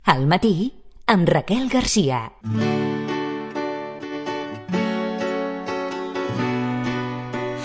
Al matí, amb Raquel Garcia.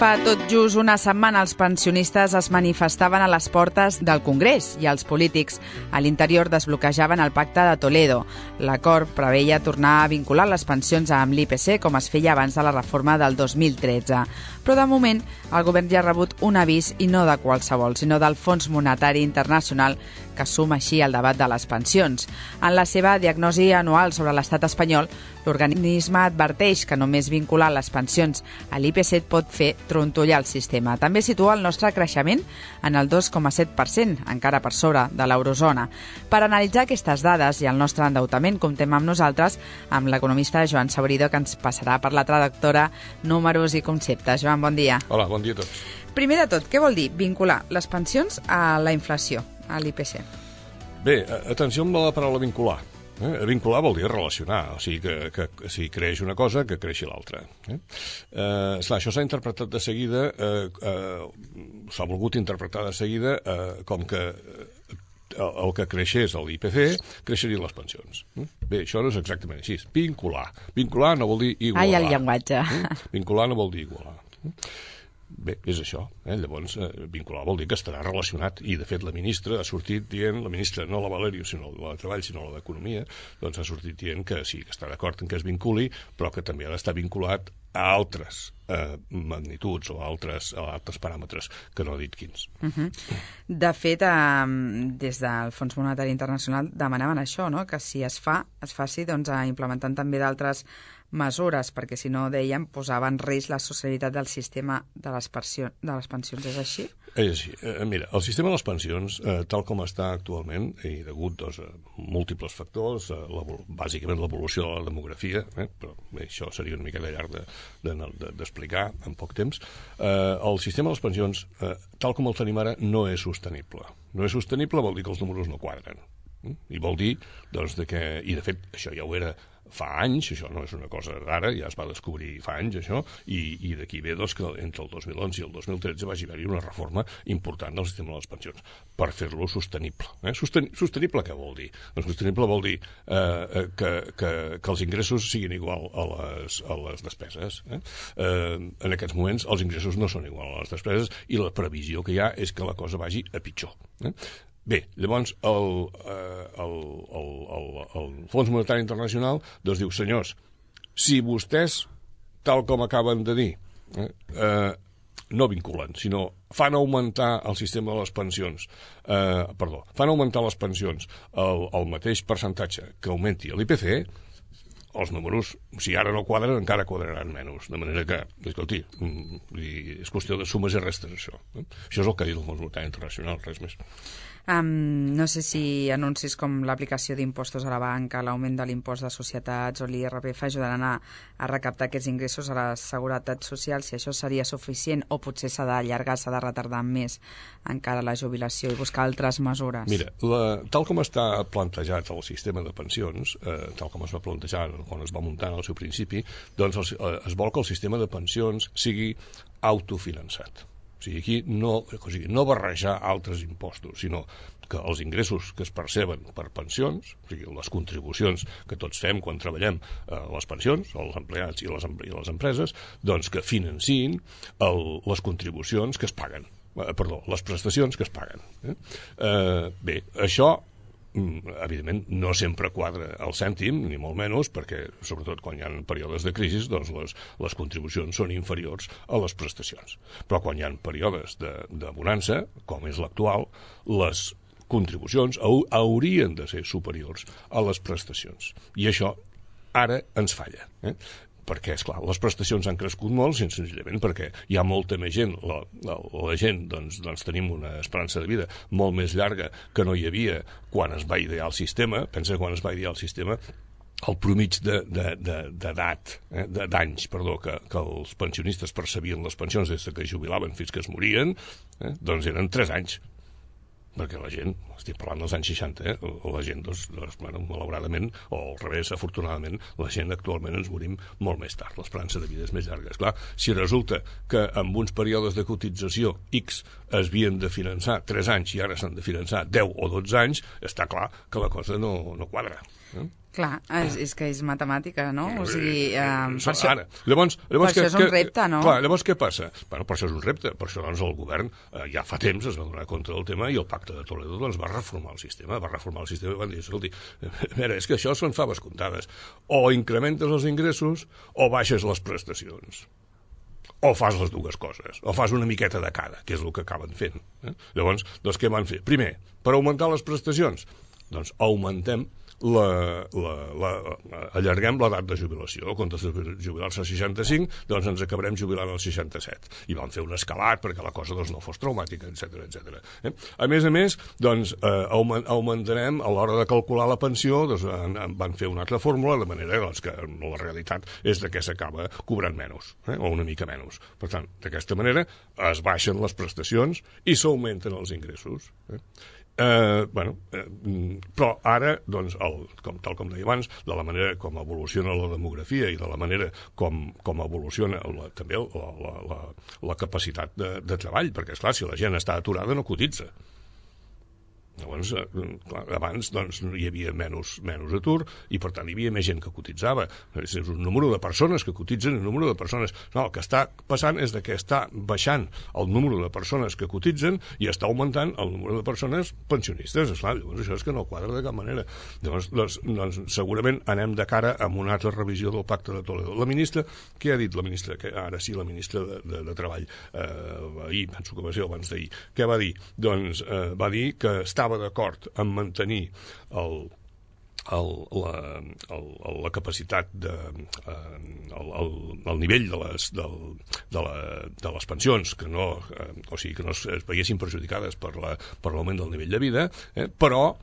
Fa tot just una setmana els pensionistes es manifestaven a les portes del Congrés i els polítics a l'interior desbloquejaven el pacte de Toledo. L'acord preveia tornar a vincular les pensions amb l'IPC com es feia abans de la reforma del 2013. Però de moment el govern ja ha rebut un avís i no de qualsevol, sinó del Fons Monetari Internacional que suma així el debat de les pensions. En la seva diagnosi anual sobre l'estat espanyol, l'organisme adverteix que només vincular les pensions a l'IPC pot fer trontollar el sistema. També situa el nostre creixement en el 2,7%, encara per sobre de l'eurozona. Per analitzar aquestes dades i el nostre endeutament, comptem amb nosaltres amb l'economista Joan Saborido, que ens passarà per la traductora Números i Conceptes. Joan, bon dia. Hola, bon dia a tots. Primer de tot, què vol dir vincular les pensions a la inflació, a l'IPC? Bé, atenció amb la paraula vincular. Vincular vol dir relacionar, o sigui que si creix una cosa, que creixi l'altra. Esclar, això s'ha interpretat de seguida, s'ha volgut interpretar de seguida com que el que creixés a l'IPC creixerien les pensions. Bé, això no és exactament així. Vincular. Vincular no vol dir igualar. Ai, el llenguatge. Vincular no vol dir igualar. Bé, és això. Llavors, vincular vol dir que estarà relacionat. I, de fet, la ministra ha sortit dient, la ministra, no la Valerio, sinó la de Treball, sinó la d'Economia, doncs ha sortit dient que sí, que està d'acord en que es vinculi, però que també ha d'estar vinculat a altres magnituds o a altres paràmetres, que no ha dit quins. De fet, des del Fons Monetari Internacional demanaven això, no? Que si es faci doncs, implementant també d'altres mesures, perquè si no, deien, posava en risc la sostenibilitat del sistema de les pensions. És així? És així. Mira, el sistema de les pensions, tal com està actualment, i degut a múltiples factors, bàsicament l'evolució de la demografia, però bé, això seria una mica llarg d'explicar en poc temps, el sistema de les pensions, tal com el tenim ara, no és sostenible. No és sostenible vol dir que els números no quadren. I vol dir, doncs, i de fet, això ja ho era fa anys, això no és una cosa d'ara, ja es va descobrir fa anys això, i d'aquí ve doncs, que entre el 2011 i el 2013 va haver-hi una reforma important del sistema de les pensions per fer-lo sostenible. Sostenible què vol dir? Doncs sostenible vol dir que els ingressos siguin igual a les despeses. En aquests moments els ingressos no són igual a les despeses i la previsió que hi ha és que la cosa vagi a pitjor. Bé, llavors el Fons Monetari Internacional doncs diu, senyors, si vostès, tal com acaben de dir, no vinculen, sinó fan augmentar el sistema de les pensions, fan augmentar les pensions al mateix percentatge que augmenti l'IPC, els números, si ara no quadren, encara quadraran menys. De manera que, escolti, és qüestió de sumes i restes, això. Això és el que ha dit el Fons Monetari Internacional, res més. No sé si anuncis com l'aplicació d'impostos a la banca, l'augment de l'impost de societats o l'IRPF ajudaran a recaptar aquests ingressos a la seguretat social, si això seria suficient o potser s'ha d'allargar, s'ha de retardar més encara la jubilació i buscar altres mesures. Mira, tal com està plantejat el sistema de pensions, tal com es va plantejar quan es va muntar en el seu principi, doncs es vol que el sistema de pensions sigui autofinançat. O sigui, aquí no barrejar altres impostos, sinó que els ingressos que es perceben per pensions, o sigui, les contribucions que tots fem quan treballem a les pensions, els empleats i les empreses, doncs que financin les contribucions que es paguen. Les prestacions que es paguen. Bé, això evidentment no sempre quadra el cèntim, ni molt menys, perquè sobretot quan hi ha períodes de crisi doncs les contribucions són inferiors a les prestacions. Però quan hi ha períodes de bonança, com és l'actual, les contribucions haurien de ser superiors a les prestacions. I això ara ens falla. Perquè, esclar, les prestacions han crescut molt, senzillament perquè hi ha molta més gent. La gent, doncs tenim una esperança de vida molt més llarga que no hi havia quan es va idear el sistema. Pensa que quan es va idear el sistema, el promig d'edat, d'anys, que els pensionistes percebien les pensions des que es jubilaven fins que es morien, doncs eren 3 anys. perquè la gent, estic parlant dels anys 60, la gent, malauradament, o al revés, afortunadament, la gent actualment ens morim molt més tard, l'esperança de vida és més llarga. Esclar, si resulta que amb uns períodes de cotització X es havien de finançar 3 anys i ara s'han de finançar 10 o 12 anys, està clar que la cosa no quadra. Clar, és que és matemàtica, no? O sigui, per això, ara, llavors, per això és un repte, no? Clar, llavors què passa? Bueno, per això és un repte, per això doncs, el govern ja fa temps es va donar compte del tema i el Pacte de Toledo doncs, va reformar el sistema i van dir, escolti, mira, és que això són faves comptades. O incrementes els ingressos o baixes les prestacions. O fas les dues coses, o fas una miqueta de cada, que és el que acaben fent. Llavors, doncs què van fer? Primer, per augmentar les prestacions, doncs augmentem allarguem l'edat de jubilació. En comptes de jubilar-se als 65, doncs ens acabarem jubilant als 67. I vam fer un escalat perquè la cosa doncs, no fos traumàtica, etc. A més, doncs, augmentarem, a l'hora de calcular la pensió, doncs, van fer una altra fórmula, de manera doncs, que la realitat és que s'acaba cobrant menys, o una mica menys. Per tant, d'aquesta manera es baixen les prestacions i s'augmenten els ingressos. Però ara, doncs, tal com deia abans, de la manera com evoluciona la demografia i de la manera com evoluciona també la capacitat de treball, perquè, esclar, si la gent està aturada no cotitza. Llavors, abans doncs, hi havia menys atur i per tant hi havia més gent que cotitzava. És un número de persones que cotitzen, un número de persones... No, el que està passant és que està baixant el número de persones que cotitzen i està augmentant el número de persones pensionistes. Esclar, llavors això és que no quadra de cap manera. Llavors, doncs, segurament anem de cara a una altra revisió del Pacte de Toledo. La ministra, què ha dit la ministra? Ara sí, la ministra de Treball, ahir, penso que va ser abans d'ahir, què va dir? Doncs va dir que estava d'acord en mantenir la capacitat el nivell de les pensions que no es veiessin perjudicades per l'augment del nivell de vida, però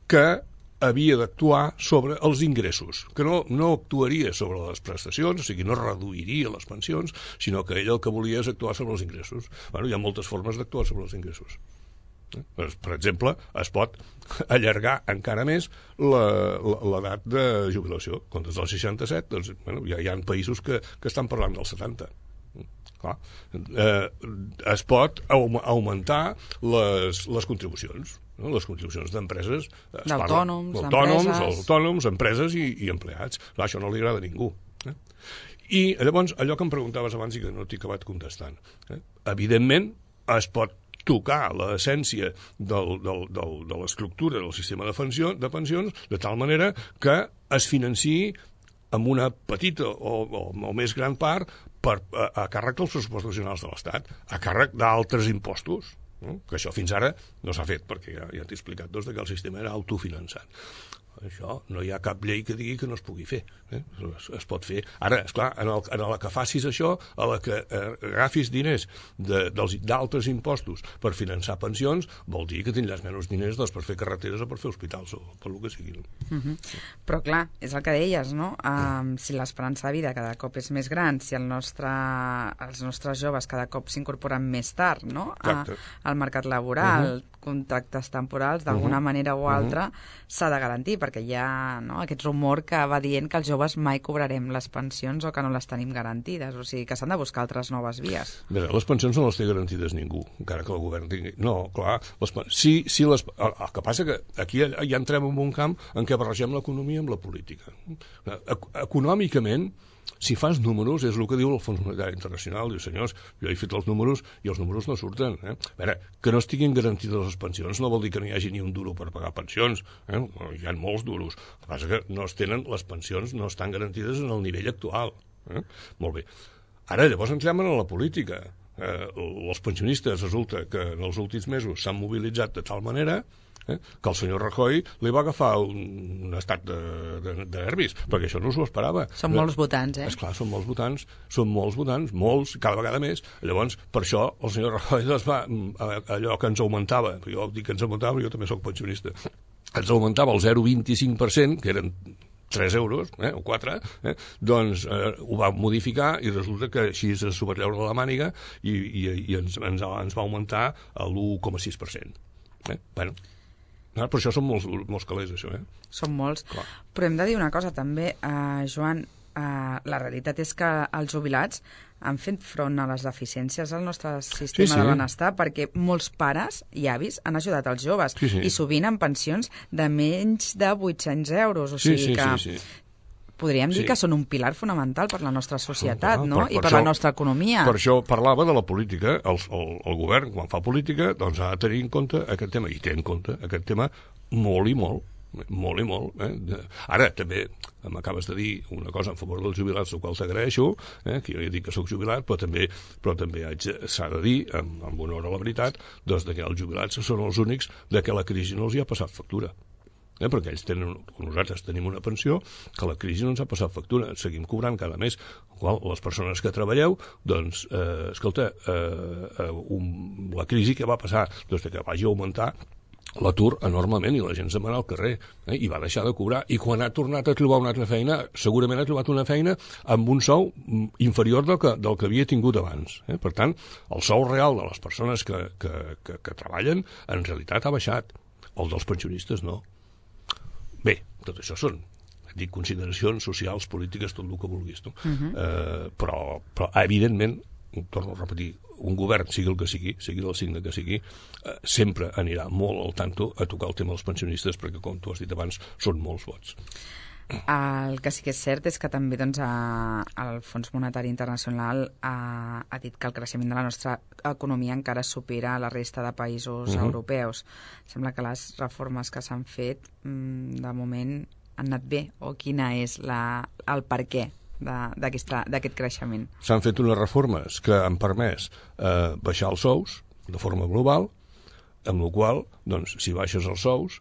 que havia d'actuar sobre els ingressos, que no actuaria sobre les prestacions, o sigui, no reduiria les pensions, sinó que ell el que volia és actuar sobre els ingressos. Bueno, hi ha moltes formes d'actuar sobre els ingressos. Per exemple, es pot allargar encara més l'edat de jubilació. En comptes del 67, doncs, ja hi ha països que estan parlant del 70. Clar. Es pot augmentar les contribucions, no? Les contribucions d'empreses, d'autònoms, empreses i empleats. Clar, això no li agrada a ningú. I llavors, allò que em preguntaves abans i que no t'he acabat contestant, evidentment es pot tocar l'essència de l'estructura del sistema de pensions de tal manera que es financiï amb una petita o més gran part a càrrec dels pressupostos generals de l'Estat, a càrrec d'altres impostos, no? Que això fins ara no s'ha fet, perquè ja t'he explicat que el sistema era autofinançat. Això no hi ha cap llei que digui que no es pugui fer. Es pot fer. Ara, esclar, en la que facis això, a la que agafis diners d'altres impostos per finançar pensions, vol dir que tindràs menys diners per fer carreteres o per fer hospitals o per el que sigui. Però clar, és el que deies, no? Si l'esperança de vida cada cop és més gran, si els nostres joves cada cop s'incorporen més tard, no? Al mercat laboral, contractes temporals, d'alguna manera o altra, s'ha de garantir, perquè hi ha aquest rumor que va dient que els joves mai cobrarem les pensions o que no les tenim garantides, o sigui que s'han de buscar altres noves vies. Bé, les pensions no les té garantides ningú, encara que el govern tingui... No, clar, el que passa que aquí ja entrem en un camp en què barregem l'economia amb la política. Econòmicament, si fas números, és el que diu el Fons Monetari Internacional. Diu, senyors, jo he fet els números i els números no surten. A veure, que no estiguin garantides les pensions no vol dir que no hi hagi ni un duro per pagar pensions. Hi ha molts duros. El que passa que les pensions no estan garantides en el nivell actual. Molt bé. Ara, llavors entrem en la política. Els pensionistes resulta que en els últims mesos s'han mobilitzat de tal manera que el senyor Rajoy li va agafar un estat de nervis, perquè això no s'ho esperava. Són molts votants, Esclar, són molts votants, molts, cada vegada més. Llavors, per això, el senyor Rajoy va, allò que ens augmentava, jo dic que ens augmentava, jo també soc pensionista, ens augmentava el 0,25%, que eren 3 euros, o 4, doncs ho va modificar i resulta que així s'ho va treure de la màniga i ens va augmentar l'1,6%. Bueno, però això són molts calés, això, Són molts. Clar. Però hem de dir una cosa, també, Joan, la realitat és que els jubilats han fet front a les deficiències del nostre sistema de benestar, perquè molts pares i avis han ajudat els joves, i sovint amb pensions de menys de 800 euros. O sigui que podríem dir que són un pilar fonamental per la nostra societat, no? I per la nostra economia. Per això parlava de la política. El govern, quan fa política, doncs ha de tenir en compte aquest tema, i té en compte aquest tema molt i molt. Molt i molt. Ara, també m'acabes de dir una cosa en favor dels jubilats, el qual t'agraeixo, que jo ja dic que soc jubilat, però també s'ha de dir, amb honor a la veritat, doncs que els jubilats són els únics de que la crisi no els hi ha passat factura. Perquè nosaltres tenim una pensió que la crisi no ens ha passat factura, seguim cobrant cada mes. Les persones que treballeu, doncs, escolta, la crisi que va passar, doncs que vagi a augmentar l'atur enormement i la gent se'n va anar al carrer i va deixar de cobrar, i quan ha tornat a trobar una altra feina, segurament ha trobat una feina amb un sou inferior del que havia tingut abans. Per tant, el sou real de les persones que treballen en realitat ha baixat, el dels pensionistes no. Bé, tot això són consideracions socials, polítiques, tot el que vulguis, no? Però evidentment, torno a repetir, un govern, sigui el que sigui del signe que sigui, sempre anirà molt al tanto a tocar el tema dels pensionistes, perquè, com tu has dit abans, són molts vots. El que sí que és cert és que també el Fons Monetari Internacional ha dit que el creixement de la nostra economia encara supera la resta de països europeus. Sembla que les reformes que s'han fet de moment han anat bé, o quina és el per què d'aquest creixement? S'han fet unes reformes que han permès baixar els sous de forma global, amb la qual cosa, doncs, si baixes els sous,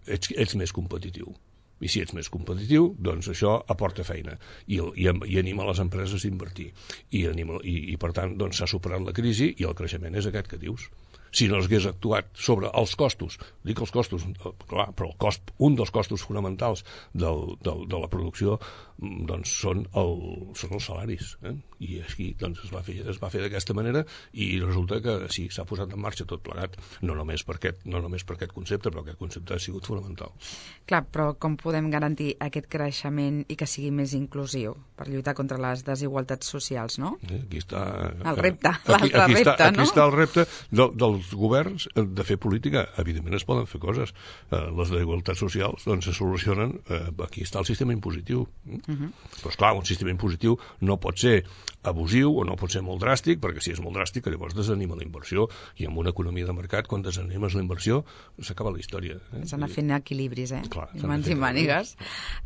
ets més competitiu. I si ets més competitiu, doncs això aporta feina i anima les empreses a invertir. I per tant, doncs, s'ha superat la crisi i el creixement és aquest que dius. Si no s'hagués actuat sobre els costos, dic els costos, clar, però un dels costos fonamentals de la producció doncs són els salaris. I aquí doncs, es va fer d'aquesta manera, i resulta que sí, s'ha posat en marxa tot plegat, no només per aquest concepte, però aquest concepte ha sigut fonamental. Clar, però com podem garantir aquest creixement i que sigui més inclusiu per lluitar contra les desigualtats socials, no? Aquí està el repte, l'altre repte, no? Aquí està el repte dels governs de fer política. Evidentment es poden fer coses. Les desigualtats socials doncs, se solucionen. Aquí està el sistema impositiu. Però, esclar, un sistema impositiu no pot ser abusiu o no pot ser molt dràstic, perquè si és molt dràstic llavors desanima la inversió, i en una economia de mercat, quan desanimes la inversió, s'acaba la història. S'han de fer equilibris, Clar, i mans i mànigues.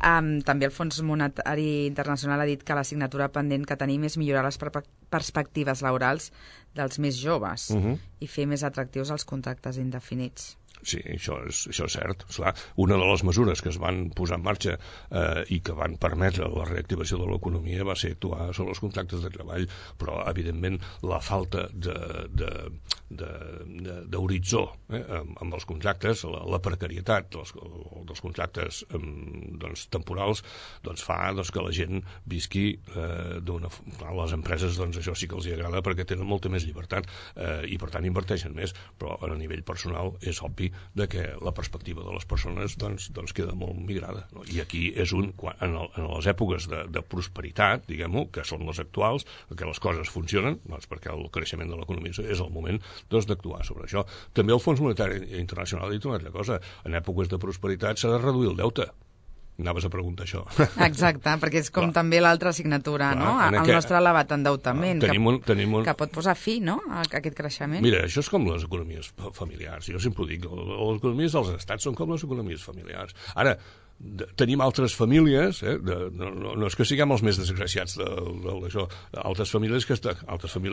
També el Fons Monetari Internacional ha dit que l'assignatura pendent que tenim és millorar les perspectives laborals dels més joves i fer més atractius els contractes indefinits. Sí, això és cert. Esclar, una de les mesures que es van posar en marxa i que van permetre la reactivació de l'economia va ser actuar sobre els contractes de treball, però, evidentment, la falta d'horitzó amb els contractes, la precarietat dels contractes temporals, fa que la gent visqui d'una... A les empreses això sí que els agrada perquè tenen molta més llibertat i, per tant, inverteixen més, però a nivell personal és obvi de que la perspectiva de les persones queda molt migrada. No? I aquí és en les èpoques de prosperitat, diguem-ho, que són les actuals, que les coses funcionen, perquè el creixement de l'economia és el moment d'actuar sobre això. També el Fons Monetari Internacional ha dit una altra cosa. En èpoques de prosperitat s'ha de reduir el deute. Anaves a preguntar això. Exacte, perquè és com també l'altra assignatura, no? El nostre elevat endeutament, que pot posar fi, no?, a aquest creixement. Mira, això és com les economies familiars. Jo sempre ho dic, les economies dels estats són com les economies familiars. Ara, tenim altres famílies, no és que siguem els més desgraciats d'això, altres famílies,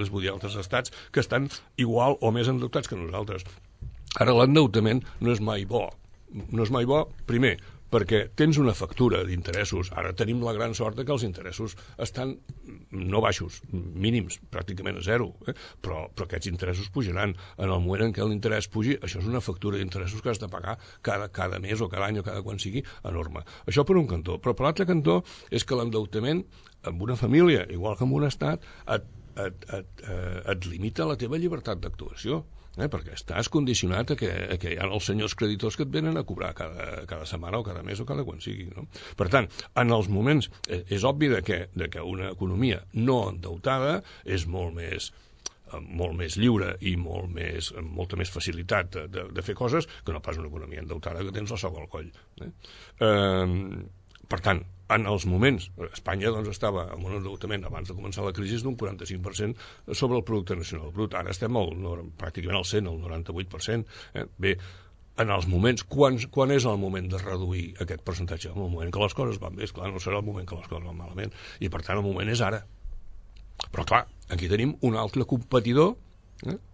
vull dir, altres estats, que estan igual o més endeutats que nosaltres. Ara, l'endeutament no és mai bo. No és mai bo, primer, perquè tens una factura d'interessos. Ara tenim la gran sort que els interessos estan no baixos, mínims, pràcticament a zero, però aquests interessos pujaran. En el moment en què l'interès pugi, això és una factura d'interessos que has de pagar cada mes o cada any o cada quan sigui, enorme. Això per un cantó. Però per l'altre cantó és que l'endeutament amb una família, igual que amb un estat, et limita la teva llibertat d'actuació. perquè estàs condicionat a que hi ha els senyors creditors que et venen a cobrar cada setmana o cada mes o cada quan sigui. No? Per tant, en els moments... és obvi que una economia no endeutada és molt més lliure i molta més facilitat de fer coses que no pas una economia endeutada que tens la soga al coll. Per tant, en els moments... Espanya doncs, estava amb un endeutament abans de començar la crisi d'un 45% sobre el producte nacional brut. Ara estem pràcticament al 100, al 98%. Bé, en els moments... Quan és el moment de reduir aquest percentatge? En el moment que les coses van bé, esclar, no serà el moment que les coses van malament. I, per tant, el moment és ara. Però, clar, aquí tenim un altre competidor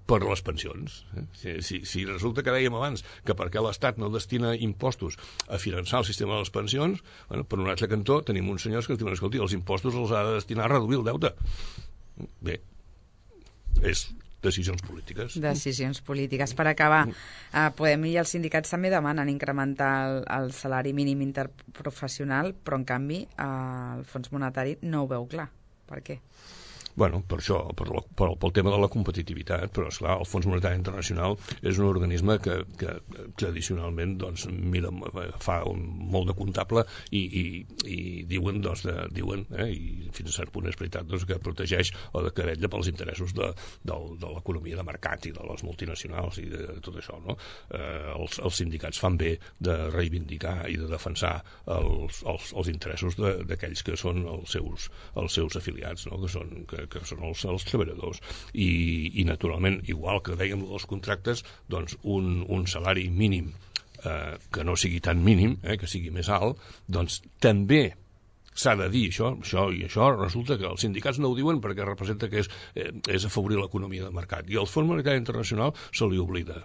per les pensions. Si resulta que dèiem abans que perquè l'Estat no destina impostos a finançar el sistema de les pensions, per un altre cantó tenim uns senyors que ens diuen, escolti, els impostos els ha de destinar a reduir el deute. Bé, és decisions polítiques. Decisions polítiques. Per acabar, Podem i els sindicats també demanen incrementar el salari mínim interprofessional, però en canvi el Fons Monetari no ho veu clar. Per què? Bueno, per això, pel tema de la competitivitat, però, esclar, el Fons Monetari Internacional és un organisme que tradicionalment doncs, fa molt de comptable i diuen, i fins a cert punt és veritat, doncs, que protegeix o que vetlla pels interessos de l'economia de mercat i de les multinacionals i de tot això. No? Els sindicats fan bé de reivindicar i de defensar els interessos d'aquells que són els seus afiliats, no? que són els treballadors. I naturalment, igual que dèiem dels contractes, doncs un salari mínim que no sigui tan mínim, que sigui més alt, doncs també s'ha de dir això, i això resulta que els sindicats no ho diuen perquè representa que és afavorir l'economia de mercat. I al Fons Monetari Internacional se li oblida.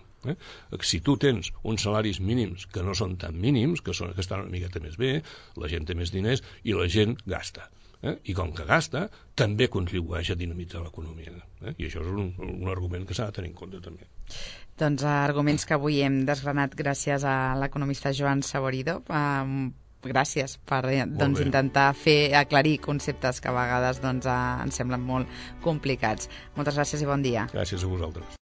Si tu tens uns salaris mínims que no són tan mínims, que estan una miqueta més bé, la gent té més diners i la gent gasta. I com que gasta, també contribueix a dinamitzar l'economia. I això és un argument que s'ha de tenir en compte també. Doncs arguments que avui hem desgranat gràcies a l'economista Joan Saborido. Gràcies per intentar aclarir conceptes que a vegades ens semblen molt complicats. Moltes gràcies i bon dia. Gràcies a vosaltres.